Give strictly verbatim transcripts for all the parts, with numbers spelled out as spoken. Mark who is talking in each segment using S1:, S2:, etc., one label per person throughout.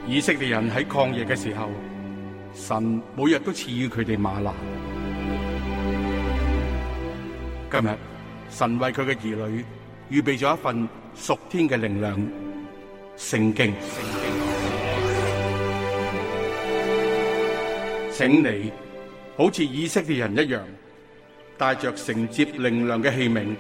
S1: 以色列人喺曠野嘅時候，神每日都賜予佢哋嗎哪。今日神為佢嘅兒女預備咗一份屬天嘅靈糧——聖經。請你好似以色列人一樣，帶着承接靈糧嘅器皿，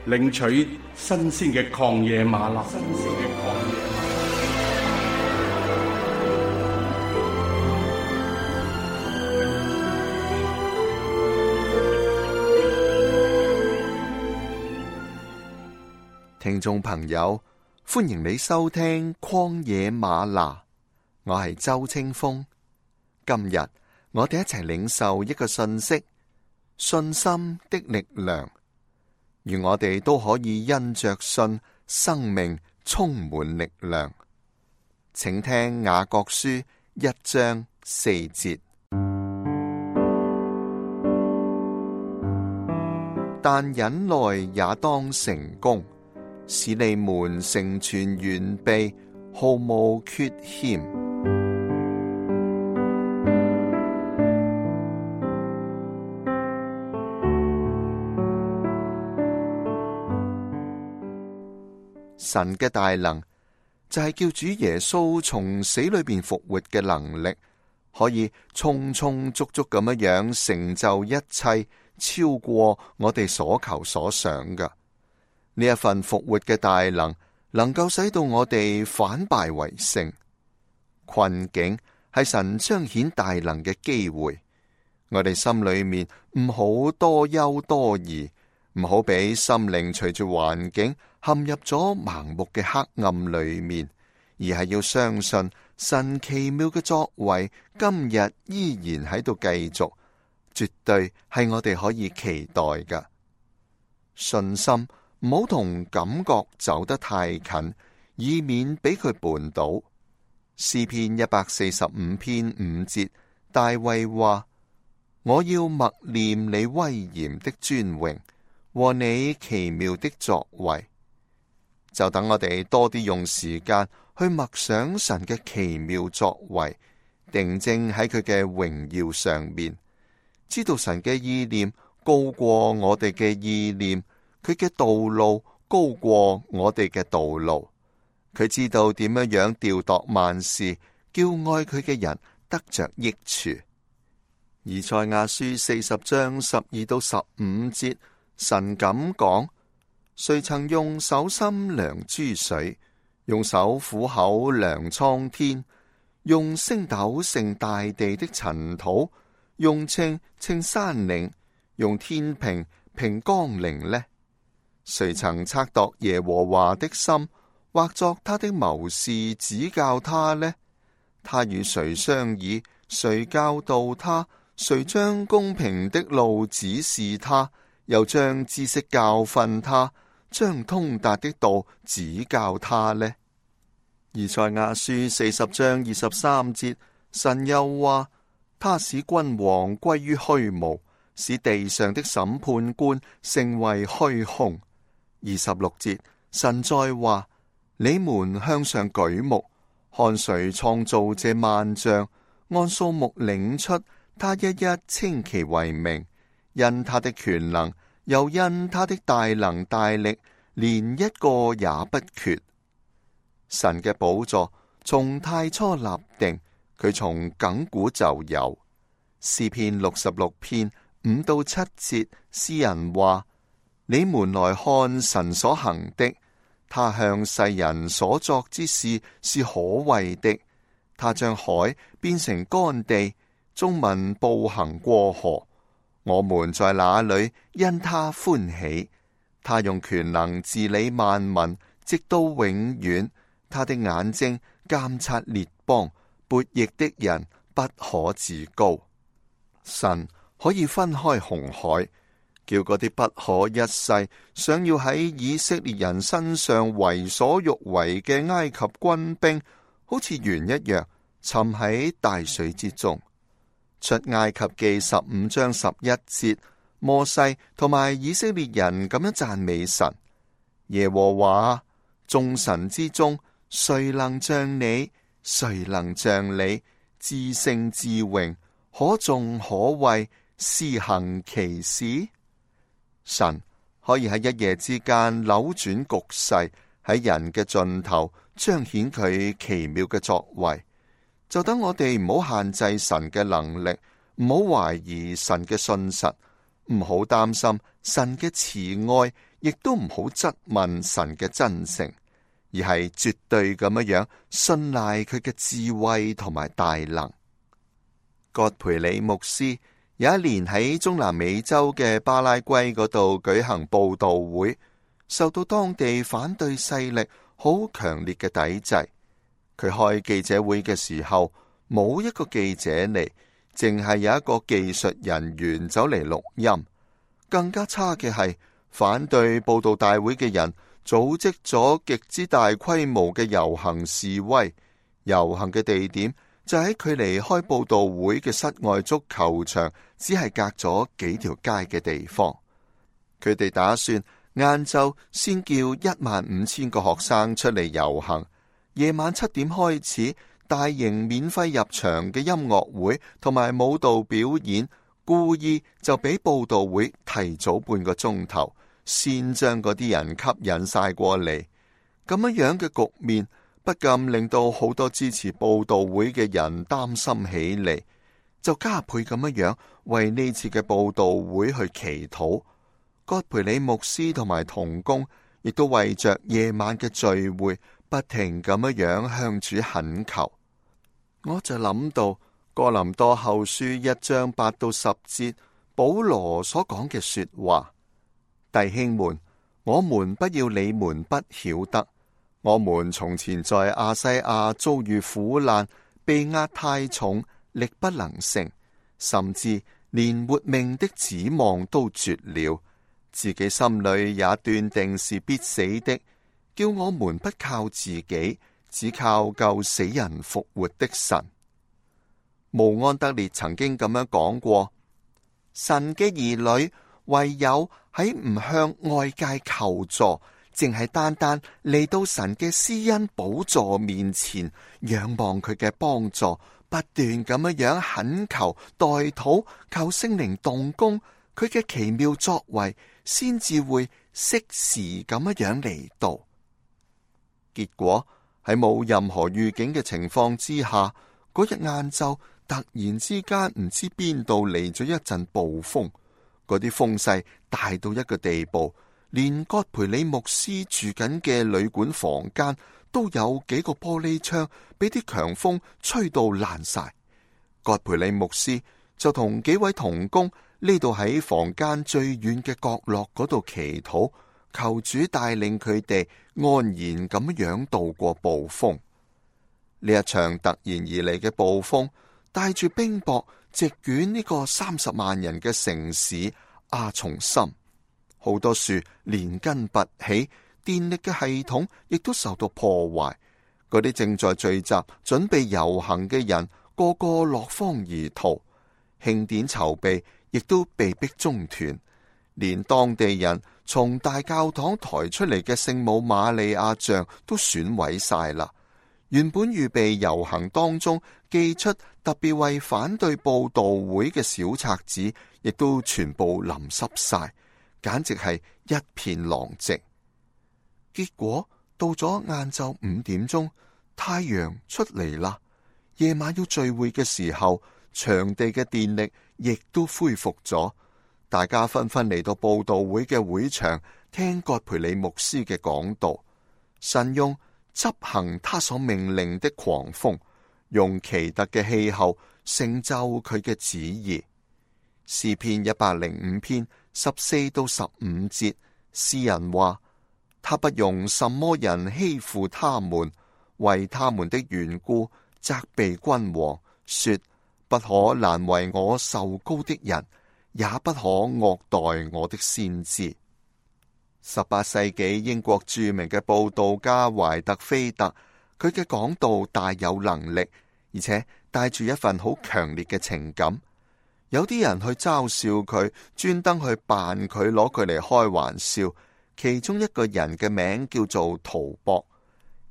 S1: 領取新鮮嘅曠野嗎哪。新鮮嘅曠野嗎哪。
S2: 聽眾朋友，歡迎你收聽曠野嗎哪，我係周清風。今日我哋一齊領受一個信息：信心的力量，願我哋都可以因着信，生命充滿力量。請聽雅各書一章四節。但忍耐也當成功，使你們成全完備，毫無缺欠。神嘅大能就係叫主耶穌從死裏邊復活嘅能力，可以充充足足咁樣樣成就一切，超過我哋所求所想嘅。呢一份復活嘅大能，能夠使到我哋反敗為勝。困境係神彰顯大能嘅機會，我哋心裏面唔好多憂多疑，唔好俾心靈隨住環境陷入咗盲目嘅黑暗裏面，而係要相信神奇妙嘅作為，今日依然喺度繼續，絕對係我哋可以期待嘅。信心唔好同感覺走得太近，以免俾佢絆倒。詩篇一百四十五篇五節，大衛話：我要默念你威嚴的尊榮和你奇妙的作為。就等我哋多啲用時間去默想神嘅奇妙作為，定睛喺佢嘅榮耀上面，知道神嘅意念高過我哋嘅意念，佢嘅道路高過我哋嘅道路，佢知道點樣樣調度萬事，叫愛佢嘅人得着益處。以賽亞書四十章十二到十五節，神咁講：誰曾用手心量諸水，用手虎口量蒼天，用升斗盛大地的塵土，用秤稱山嶺，用天平平岡陵呢？誰曾測度耶和華的心，或作他的謀士指教他呢？他與誰商議？誰教導他？誰將公平的路指示他？又將知識教訓他？將通達的道指教他呢？以賽亞書四十章二十三節，神又話：他使君王歸於虛無，使地上的審判官成為虛空。二十六節，神再話：你們向上舉目，看誰創造這萬象，按數目領出，他一一稱其為名，因他的權能，又因他的大能大力，連一個也不缺。神嘅寶座從太初立定，佢從亙古就有。詩篇六十六篇五到七節，詩人話：你們來看神所行的，他向世人所作之事是可畏的。他將海變成乾地，眾民步行過河。我們在那裏因他歡喜。他用權能治理萬民，直到永遠。他的眼睛監察列邦，悖逆的人不可自高。神可以分開紅海，叫嗰啲不可一世想要喺以色列人身上為所欲為嘅埃及軍兵，好似鉛一樣沉喺大水之中。出埃及記十五章十一節，摩西同埋以色列人咁樣讚美神：耶和華眾神之中，誰能像你？誰能像你至聖至榮，可頌可畏，施行奇事？神可以喺一夜之間扭轉局勢，喺人嘅盡頭彰顯佢奇妙嘅作為。就等我哋唔好限制神嘅能力，唔好懷疑神嘅信實，唔好擔心神嘅慈愛，亦都唔好質問神嘅真誠，而係絕對咁樣樣信賴佢嘅智慧同埋大能。葛培理牧師有一年喺中南美洲嘅巴拉圭嗰度舉行佈道會，受到當地反對勢力好強烈嘅抵制。佢開記者會嘅時候，冇一個記者嚟，淨係有一個技術人員走嚟錄音。更加差嘅係，反對佈道大會嘅人組織咗極之大規模嘅遊行示威，遊行嘅地點就喺距離開佈道會嘅室外足球場只係隔咗幾條街嘅地方。佢哋打算晏晝先叫一萬五千個學生出嚟遊行，夜晚七點開始大型免費入場嘅音樂會同埋舞蹈表演，故意就比佈道會提早半個鐘頭，先將嗰啲人吸引晒過嚟。咁樣樣嘅局面不禁令到好多支持佈道會嘅人擔心起嚟，就加倍咁樣樣為呢次嘅佈道會去祈禱。葛培理牧師同埋同工亦都為着夜晚嘅聚會不停咁樣樣向主懇求。我就諗到哥林多後書一章八到十節保羅所講嘅說話：弟兄們，我們不要你們不曉得，我們從前在亞西亞遭遇苦難，被壓太重，力不能勝，甚至連活命的指望都絕了，自己心裏也斷定是必死的，叫我們不靠自己，只靠救死人復活的神。慕安德烈曾經咁樣講過：神嘅兒女唯有喺唔向外界求助，淨係單單嚟到神嘅施恩寶座面前，仰望佢嘅幫助，不斷咁樣樣懇求代禱，求聖靈動工，佢嘅奇妙作為先至會適時咁樣樣嚟到。結果喺冇任何預警嘅情況之下，嗰日晏晝突然之間唔知邊度嚟咗一陣暴風，嗰啲風勢大到一個地步，連葛培理牧師住緊嘅旅館房間都有幾個玻璃窗俾啲強風吹到爛晒。葛培理牧師就同幾位同工呢度喺房間最遠嘅角落嗰度祈禱，求主帶領佢哋安然咁樣度過暴風。呢一場突然而嚟嘅暴風帶住冰雹，席捲呢個三十萬人嘅城市阿松森，好多樹連根拔起，電力嘅系統亦都受到破壞。嗰啲正在聚集準備遊行嘅人，個個落荒而逃，慶典籌備亦都被迫中斷，連當地人從大教堂抬出嚟嘅聖母瑪利亞像都損毀晒啦。原本預備遊行當中寄出特別為反對佈道會嘅小冊子，亦都全部淋濕晒，簡直係一片狼藉。結果到咗晏晝五點鐘，太陽出嚟啦。夜晚要聚會嘅時候，場地嘅電力亦都恢復咗，大家紛紛嚟到佈道會嘅會場聽葛培理牧師嘅講道。神用執行他所命令的狂風，用奇特嘅氣候成就佢嘅旨意。詩篇一百零五篇十四到十五節，詩人話：他不容什麼人欺負他們，為他們的緣故責備君王，說不可難為我受膏的人，也不可惡待我的先知。十八世紀英國著名嘅佈道家懷特菲特，佢嘅講道大有能力，而且帶住一份好強烈嘅情感。有啲人去嘲笑佢，專登去扮佢，攞佢嚟開玩笑。其中一個人嘅名叫做圖博。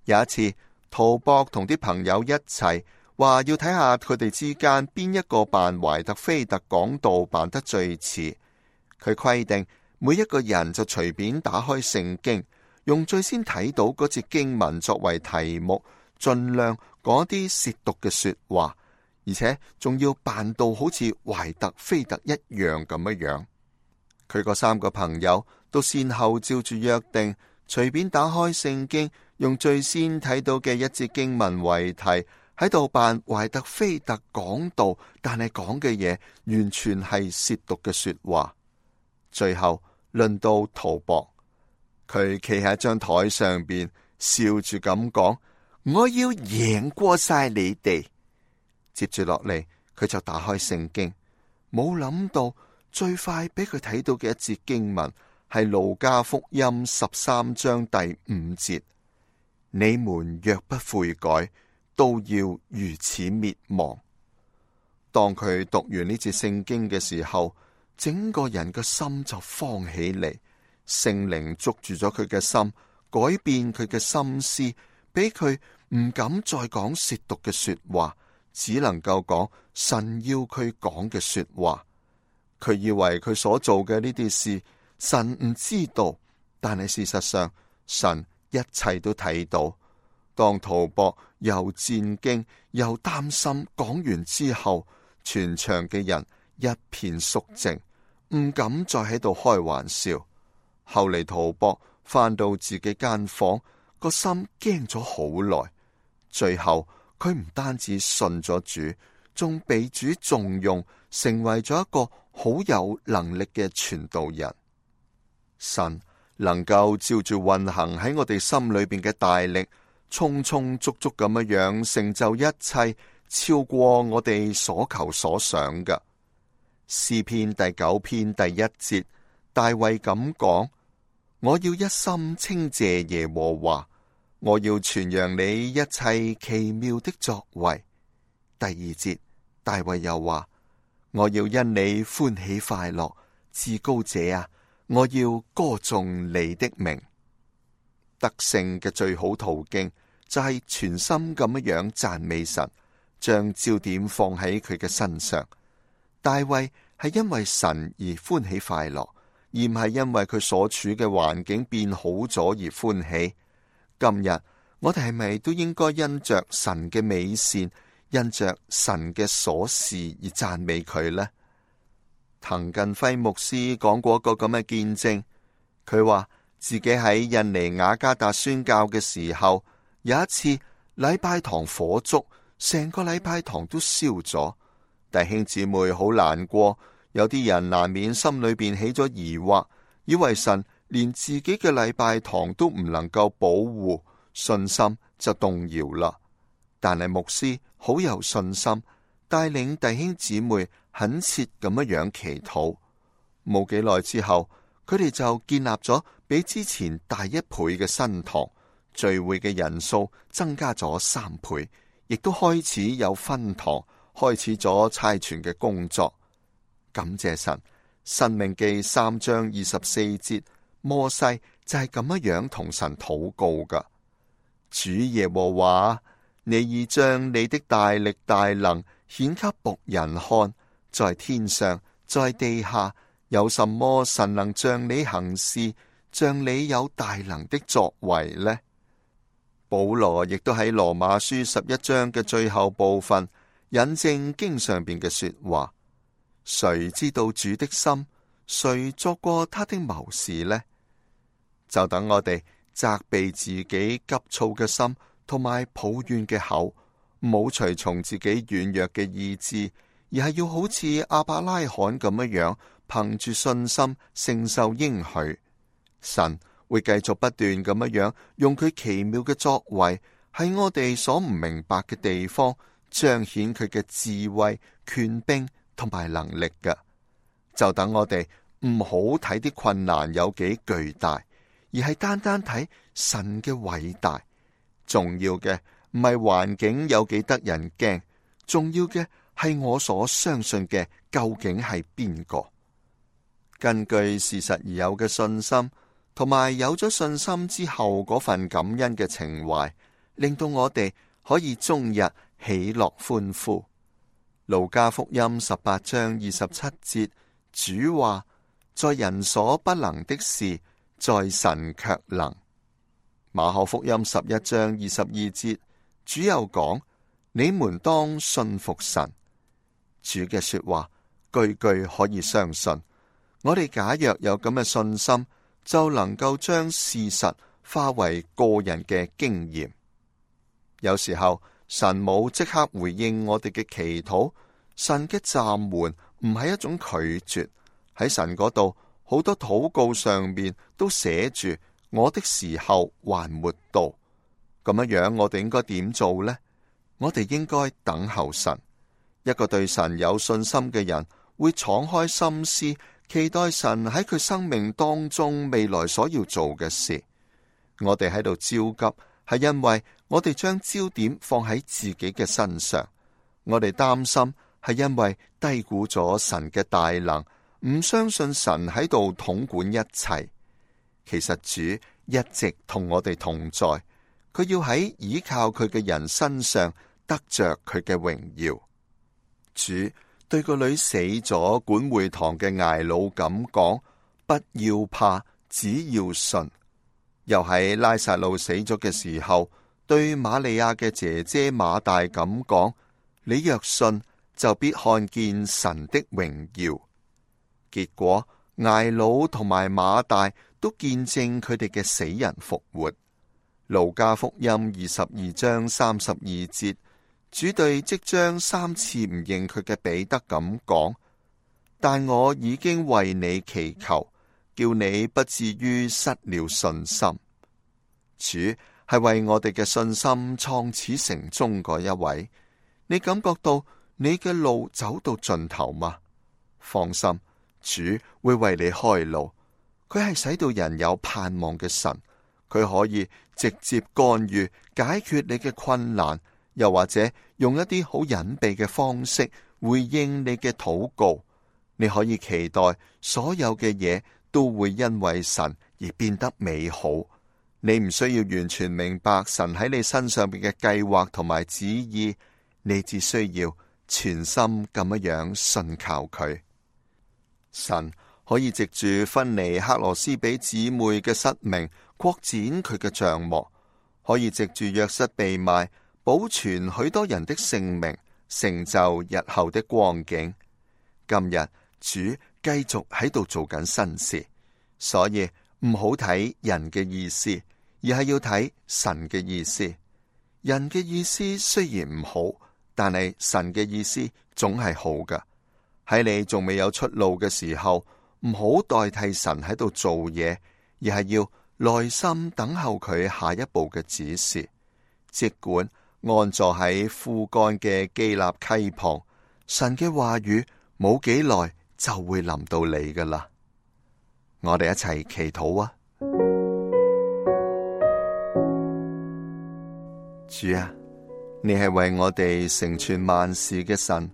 S2: 有一次，圖博同啲朋友一齊話要睇下佢哋之間邊一個扮懷特菲特講道扮得最似。佢規定每一個人就隨便打開聖經，用最先睇到嗰節經文作為題目，盡量講啲褻瀆嘅說話，而且仲要扮到好似懷特菲特一樣咁樣樣。佢嗰三個朋友都先後照住約定，隨便打開聖經，用最先睇到嘅一節經文為題，喺度扮懷特菲特講道，但係講嘅嘢完全係褻瀆嘅說話。最後輪到圖博，佢企喺張台上邊笑住咁講：我要贏過晒你哋。接住落嚟，佢就打開聖經，冇諗到最快俾佢睇到嘅一節經文係路加福音十三章第五節：你們若不悔改，都要如此滅亡。當佢讀完呢節聖經嘅時候，整個人嘅心就慌起嚟，聖靈捉住咗佢嘅心，改變佢嘅心思，俾佢唔敢再講褻瀆嘅說話，只能夠講神要佢講嘅說話。佢以為佢所做嘅呢啲事神唔知道，但係事實上神一切都睇到。當圖博又戰驚又擔心講完之後，全場嘅人一片肅靜，唔敢再喺度開玩笑。後嚟圖博返到自己間房，個心驚咗好耐。最後佢唔單止信咗主，仲被主重用，成為咗一個好有能力嘅傳道人。神能夠照住運行喺我哋心裏邊嘅大力，充充足足咁樣樣成就一切，超過我哋所求所想嘅。詩篇第九篇第一節，大衛咁講：我要一心稱謝耶和華，我要傳揚你一切奇妙的作為。第二節，大衛又話：我要因你歡喜快樂，至高者啊，我要歌頌你的名。得勝嘅最好途徑就係全心咁樣樣讚美神，將焦點放喺佢嘅身上。大衛係因為神而歡喜快樂，而唔係因為佢所處嘅環境變好咗而歡喜。今日我哋係咪都應該因着神嘅美善，因着神嘅瑣事而讚美佢呢？滕近輝牧師講過一個咁嘅見證，佢話自己喺印尼雅加達宣教嘅時候，有一次禮拜堂火燭，成個禮拜堂都燒咗。弟兄姊妹好難過，有啲人難免心裏邊起咗疑惑，以為神連自己嘅禮拜堂都唔能夠保護，信心就動搖啦。但係牧師好有信心，帶領弟兄姊妹懇切咁樣樣祈禱。冇幾耐之後，佢哋就建立咗比之前大一倍嘅新堂，聚會嘅人數增加咗三倍，亦都開始有分堂，開始咗差傳嘅工作。感謝神，申命記三章二十四節，摩西就係咁樣樣同神禱告噶。主耶和華，你已將你的大力大能顯給僕人看，在天上在地下，有什麼神能像你行事，像你有大能的作為呢？保羅亦都喺羅馬書十一章嘅最後部分引證經上邊嘅說話：誰知道主的心？誰作過他的謀士呢？就等我哋責備自己急躁嘅心，同埋抱怨嘅口，唔好隨從自己軟弱嘅意志，而係要好似亞伯拉罕咁樣樣，憑住信心承受應許。神會繼續不斷咁樣樣用佢奇妙嘅作為，喺我哋所唔明白嘅地方彰顯佢嘅智慧、權柄同埋能力嘅。就等我哋唔好睇啲困難有幾巨大，而係單單睇神嘅偉大。重要嘅唔係環境有幾得人驚，重要嘅係我所相信嘅究竟係邊個。根據事實而有嘅信心，同埋有咗信心之後嗰份感恩嘅情懷，令到我哋可以終日喜樂歡呼。路加福音十八章二十七節，主話：在人所不能的事，在神卻能。馬可福音十一章二十二節，主又講：你們當信服神。主嘅說話句句可以相信。我哋假若有咁嘅信心，就能夠將事實化為個人嘅經驗。有時候神冇即刻回應我哋嘅祈禱，神嘅暫緩唔係一種拒絕。喺神嗰度，好多禱告上面都寫住我的時候還沒到。咁樣樣，我哋應該點做呢？我哋應該等候神。一個對神有信心嘅人，會敞開心思，期待神喺佢生命當中未來所要做嘅事。我哋喺度焦急，係因為我哋將焦點放喺自己嘅身上。我哋擔心，係因為低估咗神嘅大能，唔相信神喺度統管一切。其實主一直同我哋同在，佢要喺倚靠佢嘅人身上得着佢嘅榮耀。主對個女死咗管會堂嘅睚魯咁講：不要怕，只要信。又喺拉撒路死咗嘅時候，對瑪利亞嘅姐姐馬大咁講：你若信，就必看見神的榮耀。結果睚魯同埋馬大都見證佢哋嘅死人復活。路加福音二十二章三十二節，主對即將三次唔認佢嘅彼得咁講：但我已經為你祈求，叫你不至於失了信心。主係為我哋嘅信心創始成終嗰一位。你感覺到你嘅路走到盡頭嗎？放心，主會為你開路。佢係使到人有盼望嘅神，佢可以直接干預解決你嘅困難，又或者用一啲好隱秘嘅方式回應你嘅禱告。你可以期待所有嘅嘢都會因為神而變得美好。你唔需要完全明白神喺你身上邊嘅計劃同埋旨意，你只需要全心咁樣樣信靠佢。神可以藉住芬尼克羅斯比姊妹嘅失明擴展佢嘅帳幕，可以藉住約瑟被賣保存許多人的性命，成就日後的光景。今日主繼續喺度做緊新事，所以唔好睇人嘅意思，而係要睇神嘅意思。人嘅意思雖然唔好，但係神嘅意思總係好㗎。喺你仲未有出路嘅時候，唔好代替神喺度做嘢，而係要耐心等候佢下一步嘅指示。儘管安坐喺枯乾嘅基立溪旁，神嘅話語冇幾耐就會臨到你㗎喇。我哋一齊祈禱啊！主啊，你係為我哋成全萬事嘅神，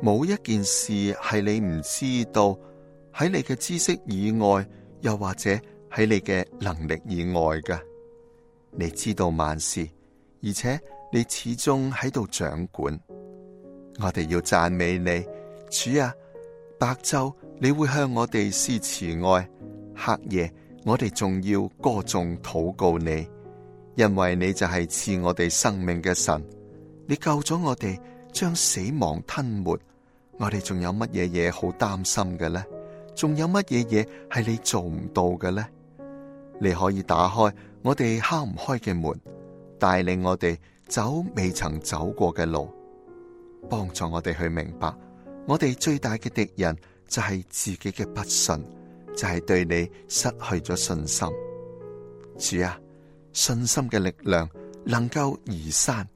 S2: 冇一件事係你唔知道，喺你嘅知識以外，又或者喺你嘅能力以外嘅。你知道萬事，而且你始終喺度掌管。我哋要讚美你，主啊！白晝你會向我哋施慈愛，黑夜我哋仲要歌頌禱告你，因為你就係賜我哋生命嘅神。你救咗我哋，將死亡吞沒。我哋仲有乜嘢嘢好擔心嘅呢？仲有乜嘢嘢係你做唔到嘅呢？你可以打開我哋敲唔開嘅門，帶領我哋走未曾走過嘅路，幫助我哋去明白，我哋最大嘅敵人就係自己嘅不信，就係對你失去咗信心。主啊，信心嘅力量能夠移山，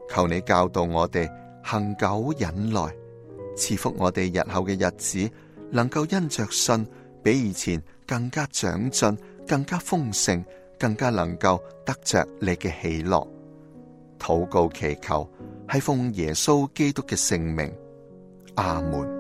S2: 求你教導我哋恒久忍耐，賜福我哋日後嘅日子，能夠因着信比以前更加長進，更加豐盛，更加能夠得着你嘅喜樂。禱告祈求係奉耶穌基督嘅聖名，阿門。